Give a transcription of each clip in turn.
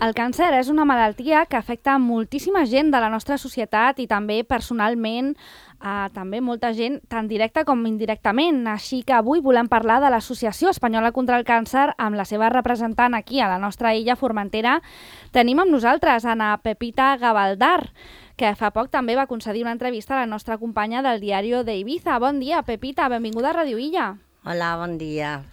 El càncer és una malaltia que afecta moltíssima gent de la nostra societat i també personalment també molta gent, tant directa com indirectament. Així que avui volem parlar de l'Associació Espanyola contra el Càncer amb la seva representant aquí a la nostra illa Formentera. Tenim amb nosaltres Ana Pepita Gavaldar, que fa poc també va concedir una entrevista a la nostra companya del Diario de Ibiza. Bon dia, Pepita, benvinguda a Ràdio Illa. Hola, bon dia.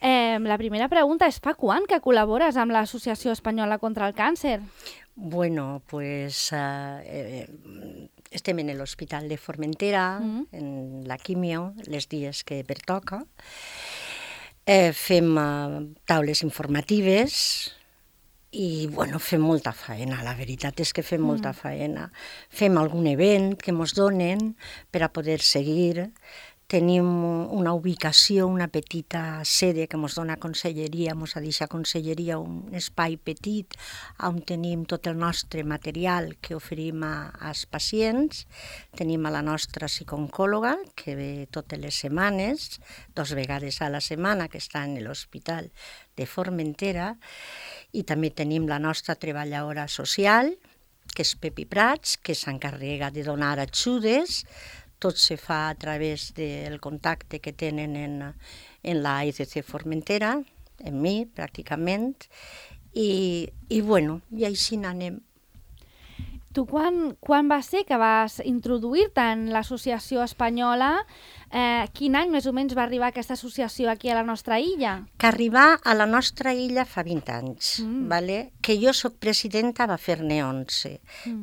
La primera pregunta és, fa quan que col·labores amb l'Associació Espanyola contra el Càncer? Bueno, pues estem en l'Hospital de Formentera, en la quimio, els dies que pertoca. Fem taules informatives i, bueno, fem molta feina. La veritat és que fem molta feina. Fem algun event que ens donen per a poder seguir. Tenim una ubicació, una petita sede que ens dona Conselleria, ens ha deixat Conselleria un espai petit on tenim tot el nostre material que oferim als pacients. Tenim a la nostra psicooncòloga, que ve totes les setmanes, 2 vegades a la setmana, que està en l'Hospital de Formentera, i també tenim la nostra treballadora social, que és Pepi Prats, que s'encarrega de donar ajudes. Tot se fa a través del contacte que tenen en la ECC Formentera, en mi, pràcticament, i bueno, i així n'anem. Tu quan va ser que vas introduir-te en l'associació espanyola? Quin any més o menys va arribar aquesta associació aquí a la nostra illa? Que arribar a la nostra illa fa 20 anys, vale? Que jo soc presidenta va fer-ne 11,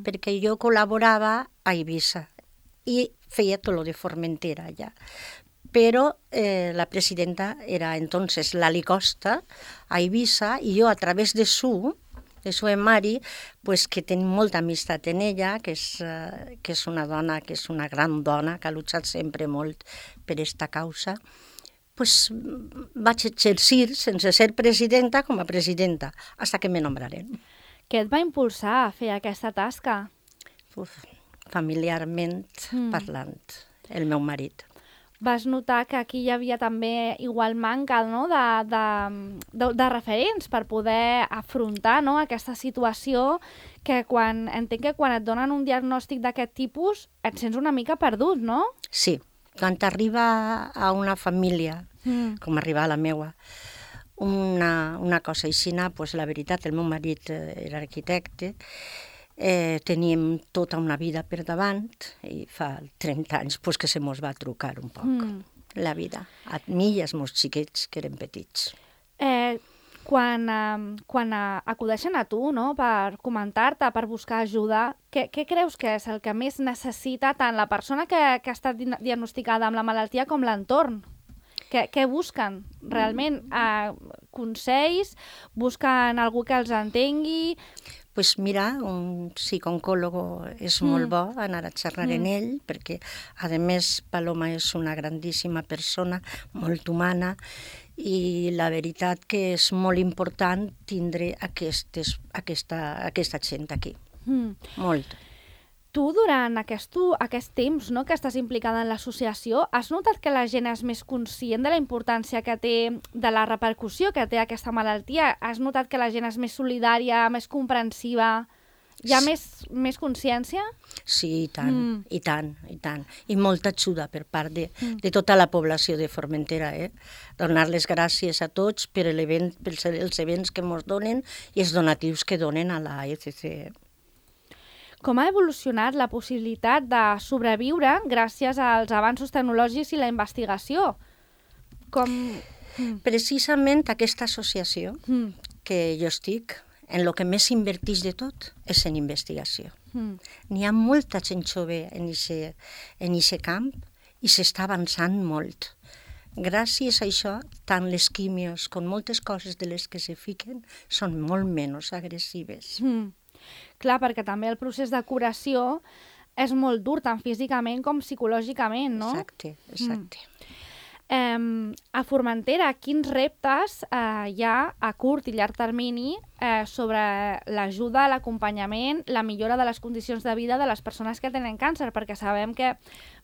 perquè jo col·laborava a Eivissa i feia tot lo de Formentera ja. Però la presidenta era entonces Lali Costa a Eivissa i jo a través de su Mari, pues, que tenim molta amistat en ella, que és una dona, que és una gran dona, que ha lluitat sempre molt per aquesta causa, pues, vaig exercir, sense ser presidenta, com a presidenta, fins que me nombraren. Què et va impulsar a fer aquesta tasca? Familiarment parlant, el meu marit. Vas notar que aquí hi havia també igual manca, no?, de referents per poder afrontar, no?, aquesta situació que entenc que quan et donen un diagnòstic d'aquest tipus et sents una mica perdut, no? Sí, quan t'arriba a una família, com arriba a la meua, una cosa així, pues, la veritat, el meu marit era arquitecte, teníem tota una vida per davant i fa 30 anys pues, que se mos va trucar un poc la vida, a mi i als meus xiquets que eren petits. Quan acudeixen a tu, no?, per comentar-te, per buscar ajuda, què creus que és el que més necessita tant la persona que ha estat diagnosticada amb la malaltia com l'entorn? Què busquen realment? Consells? Busquen algú que els entengui? Pues mira, un psicooncòlogo és molt bo anar a xerrar en ell, perquè, a més, Paloma és una grandíssima persona, molt humana, i la veritat que és molt important tindre aquesta gent aquí. Molt. Tu, durant aquest temps, no?, que estàs implicada en l'associació, has notat que la gent és més conscient de la importància que té, de la repercussió que té aquesta malaltia? Has notat que la gent és més solidària, més comprensiva? Hi ha més consciència? Sí, i tant, i tant, i tant. I molta ajuda per part de tota la població de Formentera. Donar les gràcies a tots per els events que ens donen i els donatius que donen a la ECC. Com ha evolucionat la possibilitat de sobreviure gràcies als avanços tecnològics i la investigació? Precisament aquesta associació que jo estic, en el que més invertix de tot és en investigació. N'hi ha molta gent jove en aquest camp i s'està avançant molt. Gràcies a això, tant les quimios com moltes coses de les que se fiquen són molt menys agressives. Clar, perquè també el procés de curació és molt dur, tant físicament com psicològicament, no? Exacte. A Formentera, quins reptes hi ha a curt i llarg termini sobre l'ajuda, l'acompanyament, la millora de les condicions de vida de les persones que tenen càncer? Perquè sabem que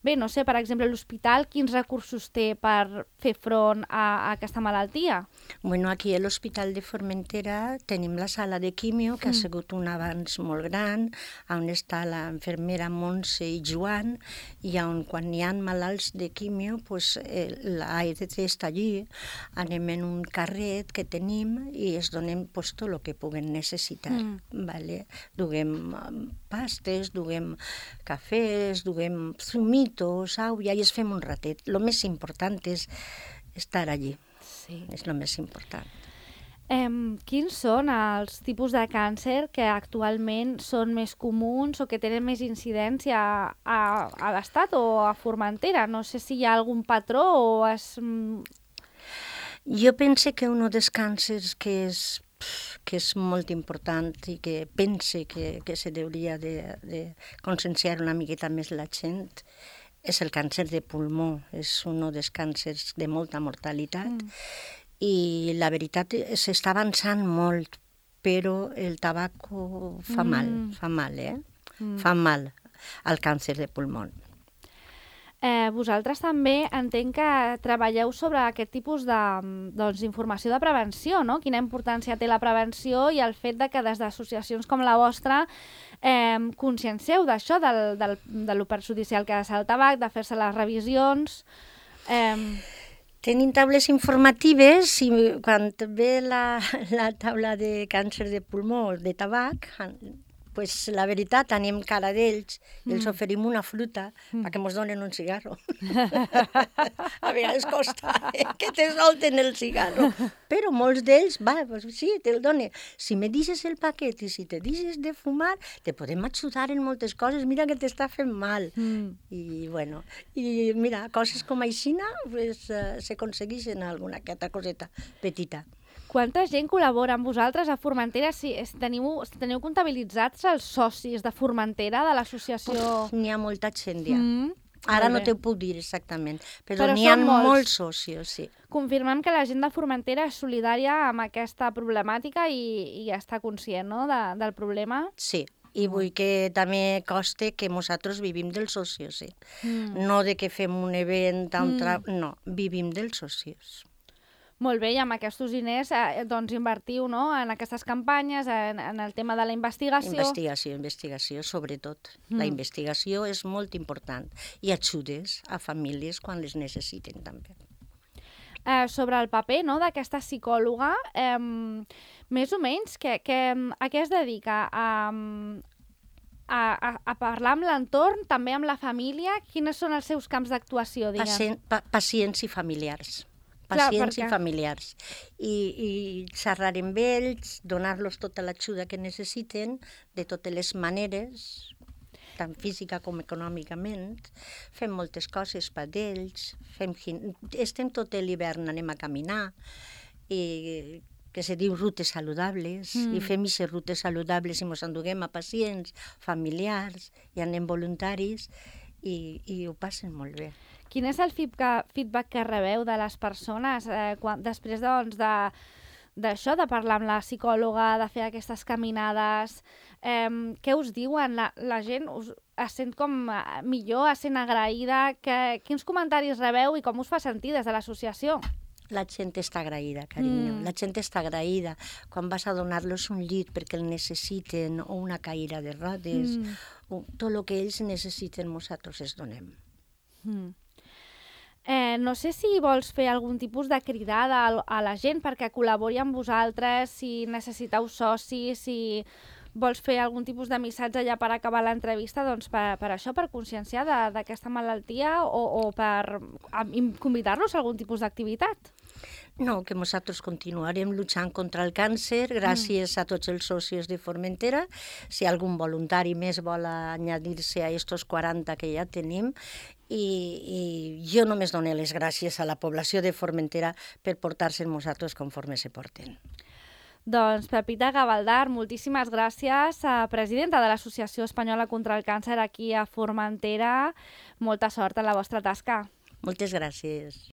Bé, no sé, per exemple, l'hospital, quins recursos té per fer front a aquesta malaltia? Bueno, aquí a l'Hospital de Formentera tenim la sala de quimio, que ha sigut un avanç molt gran, on està la infermera Montse i Joan, i on quan hi ha malalts de quimio, pues, l'AEDC està allí, anem en un carret que tenim i es donem pues, tot el que puguen necessitar. Vale? Duguem pastes, duguem cafès, duguem zumitos, au, i es fem un ratet. Lo més important és estar allí. Sí. És el més important. Quins són els tipus de càncer que actualment són més comuns o que tenen més incidència a l'Estat o a Formentera? No sé si hi ha algun patró o és... Jo penso que un dels càncers que és molt important i que pense que se hauria de conscienciar una miqueta més la gent és el càncer de pulmó. És un dels càncers de molta mortalitat i la veritat s'està avançant molt, però el tabaco fa mal, fa mal al càncer de pulmó. Vosaltres també entenc que treballeu sobre aquest tipus d'informació de prevenció, no? Quina importància té la prevenció i el fet de que des d'associacions com la vostra consciencieu d'això, de lo perjudicial que és el tabac, de fer-se les revisions... Tenim taules informatives i quan ve la taula de càncer de pulmó, de tabac, pues la veritat, anem cara d'ells, els oferim una fruta perquè ens donen un cigarro. A vegades costa que te solten el cigarro, però molts d'ells, pues sí, te'l donen. Si me deixes el paquet i si te deixes de fumar, te podem ajudar en moltes coses, mira que t'està fent mal. I bueno, i mira, coses com aixina pues, s'aconsegueixen alguna altra coseta petita. Quanta gent col·labora amb vosaltres a Formentera? Si teniu comptabilitzats els socis de Formentera, de l'associació? N'hi ha molta gent ja. Ara no t'ho puc dir exactament, però n'hi són ha molts. molts socis, sí. Confirmem que la gent de Formentera és solidària amb aquesta problemàtica i està conscient, no?, del problema. Sí, i vull que també coste que nosaltres vivim dels socis, sí. No de que fem un event, no, vivim dels socis. Molt bé, i amb aquests diners doncs invertiu, no?, en aquestes campanyes, en el tema de la investigació. Investigació, sobretot. La investigació és molt important i ajudes a famílies quan les necessiten també. Sobre el paper, no?, d'aquesta psicòloga, més o menys, a què es dedica? A parlar amb l'entorn, també amb la família? Quines són els seus camps d'actuació, diguem? Pacients i familiars. Pacients i familiars. I xerrar amb ells, donar-los tota l'ajuda que necessiten, de totes les maneres, tant física com econòmicament. Fem moltes coses per ells. Estem tot l'hivern, anem a caminar, i que se diu rutes saludables, i fem aquestes rutes saludables i ens enduguem a pacients, familiars, i anem voluntaris, i ho passen molt bé. Quin és el feedback que rebeu de les persones després d'això, de parlar amb la psicòloga, de fer aquestes caminades? Què us diuen? La gent es sent com millor, es sent agraïda? Quins comentaris rebeu i com us fa sentir des de l'associació? La gent està agraïda, carinyo. La gent està agraïda. Quan vas a donar-los un llit perquè el necessiten, o una caïra de rodes, tot el que ells necessiten nosaltres els donem. No sé si vols fer algun tipus de cridada a la gent perquè col·labori amb vosaltres, si necessiteu socis, si vols fer algun tipus de missatge ja per acabar l'entrevista, doncs per això, per conscienciar d'aquesta malaltia o per convidar-los a algun tipus d'activitat? No, que nosaltres continuarem lluitant contra el càncer gràcies a tots els socis de Formentera. Si algun voluntari més vol añadir-se a estos 40 que ja tenim, i jo només dono les gràcies a la població de Formentera per portar-se nosaltres conforme se porten. Doncs Pepita Gavaldar, moltíssimes gràcies, presidenta de l'Associació Espanyola contra el Càncer aquí a Formentera. Molta sort en la vostra tasca. Moltes gràcies.